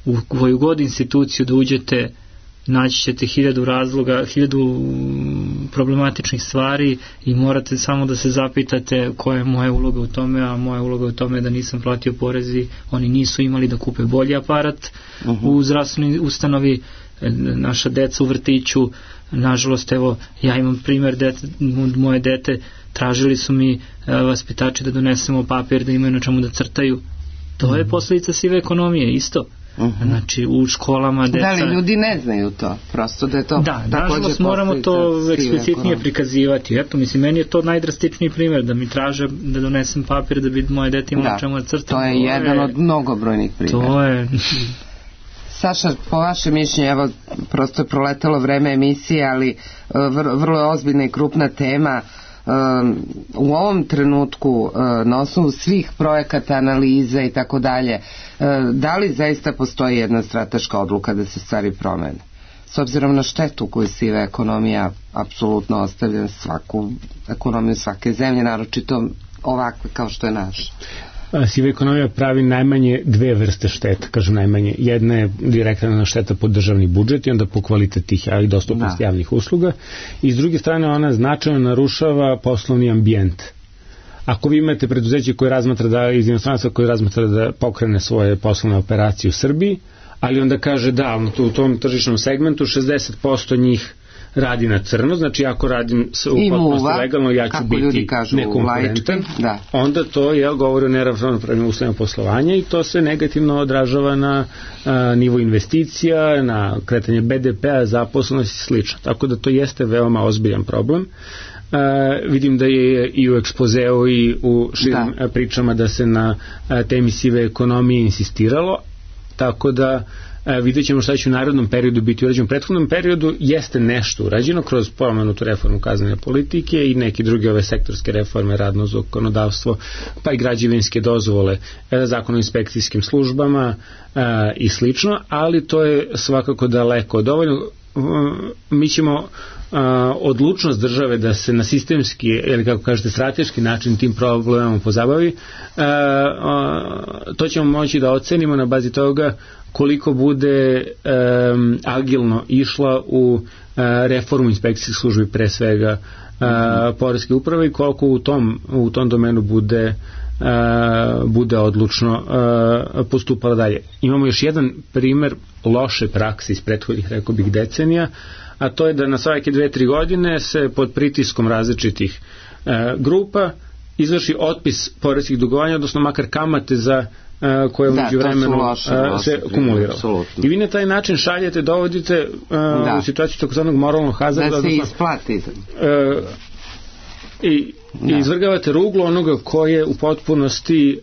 u koju god instituciju da uđete, naći ćete 1000 razloga, 1000 problematičnih stvari i morate samo da se zapitate koja je moja uloga u tome, a moja uloga u tome je da nisam platio porezi, oni nisu imali da kupe bolji aparat u zdravstvenoj ustanovi, naša deca u vrtiću, nažalost, evo, ja imam primjer moje dete, tražili su mi vaspitači da donesemo papir da imaju na čemu da crtaju, To je posljedica sive ekonomije isto. Znači u školama deca... Da li ljudi ne znaju to? Prosto da je to... Da, nažalost moramo to eksplicitnije prikazivati. Eto, mislim, meni je to najdrastičniji primjer, da mi traže da donesem papir da bi moje dete imalo čemu da crtam. To je jedan od mnogobrojnih primjera. To je... Saša, po vašem mišljenju, evo, prosto je proletelo vreme emisije, ali vrlo je ozbiljna i krupna tema. U ovom trenutku, na osnovu svih projekata, analiza i tako dalje, da li zaista postoji jedna strateška odluka da se stvari promene? S obzirom na štetu koju siva ekonomija apsolutno ostavlja svaku ekonomiju svake zemlje, naročito ovakve kao što je naša. Siva ekonomija pravi najmanje dve vrste šteta, kažem najmanje. Jedna je direktna šteta po državni budžet i onda po kvalitet tih i dostupnost javnih usluga. I s druge strane ona značajno narušava poslovni ambijent. Ako vi imate preduzeće koje razmatra da iz inostranstva koje razmatra da pokrene svoje poslovne operacije u Srbiji, ali onda kaže da u tom tržišnom segmentu 60% njih radi na crno, znači ako radim u potpunosti legalno, ja ću biti nekonkurentan, onda to govori o neravnopravnim uslovima poslovanja i to se negativno odražava na nivo investicija, na kretanje BDP-a, zaposlenosti i slično. Tako da to jeste veoma ozbiljan problem. Vidim da je i u ekspozeu i u širim pričama da se na temi sive ekonomije insistiralo, tako da vidjet ćemo šta će u narednom periodu biti urađeno. U prethodnom periodu jeste nešto urađeno kroz pomenutu reformu kaznene politike i neke druge ove sektorske reforme, radno zakonodavstvo, pa i građevinske dozvole, zakon o inspekcijskim službama i slično, ali to je svakako daleko dovoljno. Mi ćemo odlučnost države da se na sistemski ili kako kažete strateški način tim problemom pozabavi, to ćemo moći da ocenimo na bazi toga koliko bude agilno išla u reformu inspekcijskih službi, pre svega poreske uprave, i koliko u tom domenu bude odlučno postupala dalje. Imamo još jedan primer loše prakse iz prethodnih, rekao bih, decenija, a to je da na svake 2-3 godine se pod pritiskom različitih grupa izvrši otpis poreskih dugovanja, odnosno makar kamate za koje umeđu vremenu se kumuliralo. I vi na taj način šaljete, dovodite u situaciju takozvanog moralnog hazarda, da se isplati i izvrgavate ruglu onoga ko je u potpunosti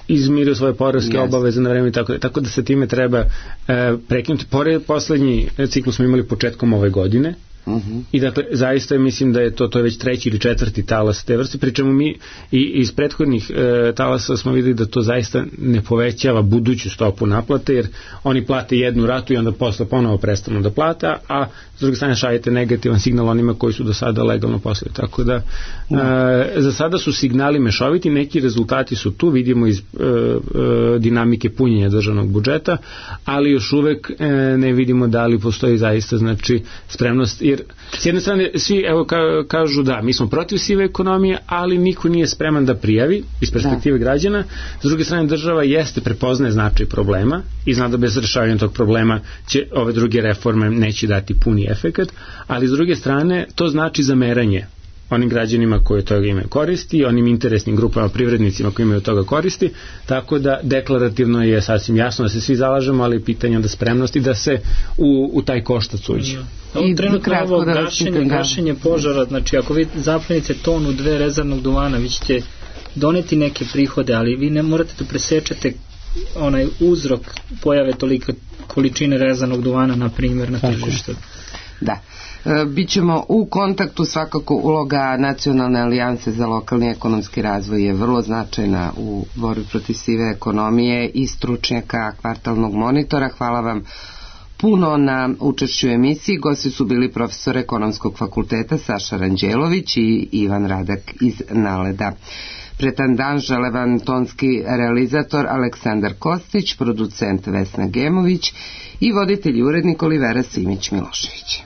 izmirio svoje poreske obaveze na vreme, tako da se time treba prekinuti. Poslednji ciklus smo imali početkom ove godine. I dakle, zaista mislim da je to je već 3. ili 4. talas te vrste, pričemu mi i iz prethodnih talasa smo videli da to zaista ne povećava buduću stopu naplate, jer oni plate jednu ratu i onda posle ponovo prestanu da plate, a s druge strane šaljete negativan signal onima koji su do sada legalno poslovali. Tako da za sada su signali mešoviti, neki rezultati su tu, vidimo iz dinamike punjenja državnog budžeta, ali još uvek ne vidimo da li postoji zaista spremnost, jer s jedne strane svi kažu da mi smo protiv sive ekonomije, ali niko nije spreman da prijavi iz perspektive građana. S druge strane država prepoznaje značaj problema i zna da bez rešavanja tog problema će ove druge reforme neće dati puni efekat, ali s druge strane to znači zameranje onim građanima koji od toga imaju koristi, onim interesnim grupama, privrednicima koji imaju od toga koristi, tako da deklarativno je sasvim jasno da se svi zalažemo, ali pitanje onda spremnosti da se u taj koštac uđe. I trenutno ovo gašenje požara, znači ako vi zaplenite tonu 2 rezervnog duvana, vi ćete doneti neke prihode, ali vi ne morate da presečete onaj uzrok pojave tolike količine rezervnog duvana, na primjer, na tržištu. Da. Bićemo u kontaktu, svakako uloga Nacionalne alijanse za lokalni ekonomski razvoj je vrlo značajna u borbi protiv sive ekonomije i stručnjaka kvartalnog monitora. Hvala vam puno na učešću u emisiji. Gosti su bili profesor Ekonomskog fakulteta Saša Ranđelović i Ivan Radak iz Naleda. Pretandan želevan tonski realizator Aleksandar Kostić, producent Vesna Gemović i voditelj i urednik Olivera Simić Milošević.